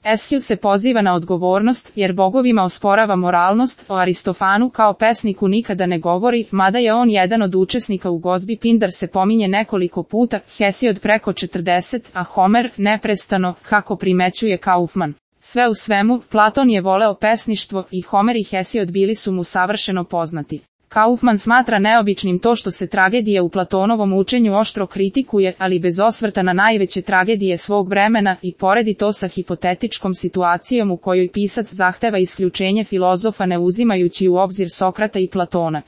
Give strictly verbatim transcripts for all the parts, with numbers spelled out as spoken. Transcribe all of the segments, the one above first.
Eshil se poziva na odgovornost, jer bogovima osporava moralnost, o Aristofanu kao pesniku nikada ne govori, mada je on jedan od učesnika u gozbi. Pindar se pominje nekoliko puta, Hesiod preko četrdeset, a Homer neprestano, kako primećuje Kaufman. Sve u svemu, Platon je voleo pesništvo i Homer i Hesiod bili su mu savršeno poznati. Kaufman smatra neobičnim to što se tragedije u Platonovom učenju oštro kritikuje, ali bez osvrta na najveće tragedije svog vremena, i poredi to sa hipotetičkom situacijom u kojoj pisac zahteva isključenje filozofa ne uzimajući u obzir Sokrata i Platona.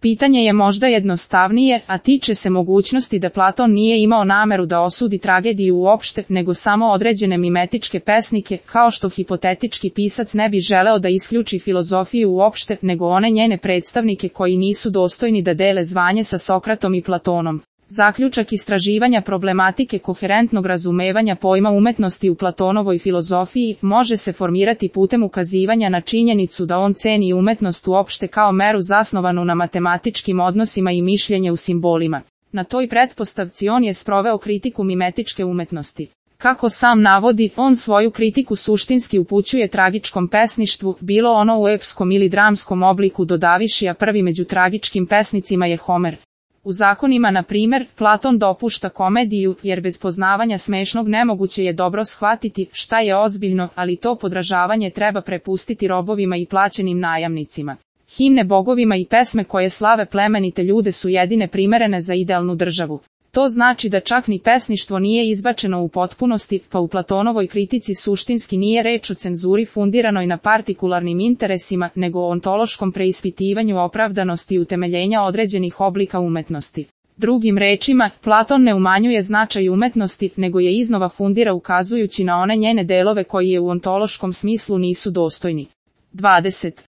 Pitanje je možda jednostavnije, a tiče se mogućnosti da Platon nije imao nameru da osudi tragediju uopšte, nego samo određene mimetičke pesnike, kao što hipotetički pisac ne bi želeo da isključi filozofiju uopšte, nego one njene predstavnike koji nisu dostojni da dele zvanje sa Sokratom i Platonom. Zaključak istraživanja problematike koherentnog razumevanja pojma umetnosti u Platonovoj filozofiji može se formirati putem ukazivanja na činjenicu da on ceni umetnost uopšte kao meru zasnovanu na matematičkim odnosima i mišljenje u simbolima. Na toj pretpostavci on je sproveo kritiku mimetičke umetnosti. Kako sam navodi, on svoju kritiku suštinski upućuje tragičkom pesništvu, bilo ono u epskom ili dramskom obliku dodaviši, a prvi među tragičkim pesnicima je Homer. U zakonima, na primjer, Platon dopušta komediju, jer bez poznavanja smešnog nemoguće je dobro shvatiti šta je ozbiljno, ali to podražavanje treba prepustiti robovima i plaćenim najamnicima. Himne bogovima i pesme koje slave plemenite ljude su jedine primerene za idealnu državu. To znači da čak ni pesništvo nije izbačeno u potpunosti, pa u Platonovoj kritici suštinski nije reč o cenzuri fundiranoj na partikularnim interesima, nego o ontološkom preispitivanju opravdanosti i utemeljenja određenih oblika umetnosti. Drugim rečima, Platon ne umanjuje značaj umetnosti, nego je iznova fundira ukazujući na one njene delove koji je u ontološkom smislu nisu dostojni. dvadeset.